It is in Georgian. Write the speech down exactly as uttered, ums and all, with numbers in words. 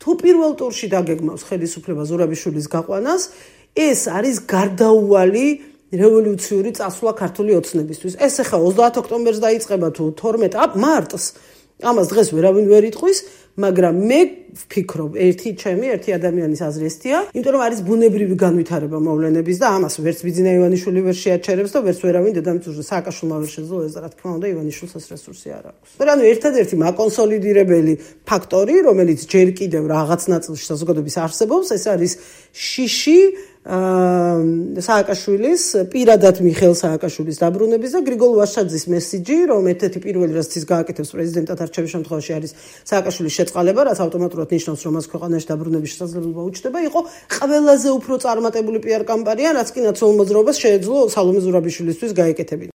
თუ პირველ ტურში დაგეგმავს ხელისუფლება ზურაბიშვილის გაყვანას, ეს არის გარდაუვალი რევოლუციური წასვლა ქართული ოცნებისთვის. ეს ახლა ოცდაათ ოქტომბერს დაიწყება თუ თორმეტ მარტს. ამას დღეს ვერავინ ვერ იტყვის, მაგრამ მე ვფიქრობ, ერთი ჩემი, ერთი ადამიანის აზრი ესთია, იმიტომ რომ არის ბუნებრივი განვითარება მოვლენების და ამას ვერც ბიძინა ივანიშვილი ვერ შეაჩერებს და ვერც ვერავინ დედამიწაზე სააკაშვილმა ვერ შეძლო ეს, რა თქმა უნდა, ივანიშვილს ეს რესურსი არ აქვს. ანუ ერთადერთი მაკონსოლიდირებელი ფაქტორი, რომელიც ჯერ კიდევ რაღაც ნაწილში საზოგადოების არსებობს, ეს არის შიში სააკაშვილის, პირადად მიხეილ სააკაშვილის დაბრუნების და გრიგოლ ვაშაძის მესიჯი, რომ ერთ-ერთი პირველი რაც ის გააკეთებს პრეზიდენტად არჩევის შემთხვევაში არის სააკაშვილის შეწყალება, რაც ავტომატურად ნიშნავს, რომ მას ქვეყანაში დაბრუნების შესაძლებლობა უჩნდება, იყო ყველაზე უფრო წარმატებული პიარ კამპანია, რაც კი ნაციონალურ მოძრაობას შეეძლო სალომე ზურაბიშვილისთვის გაეკეთებინა.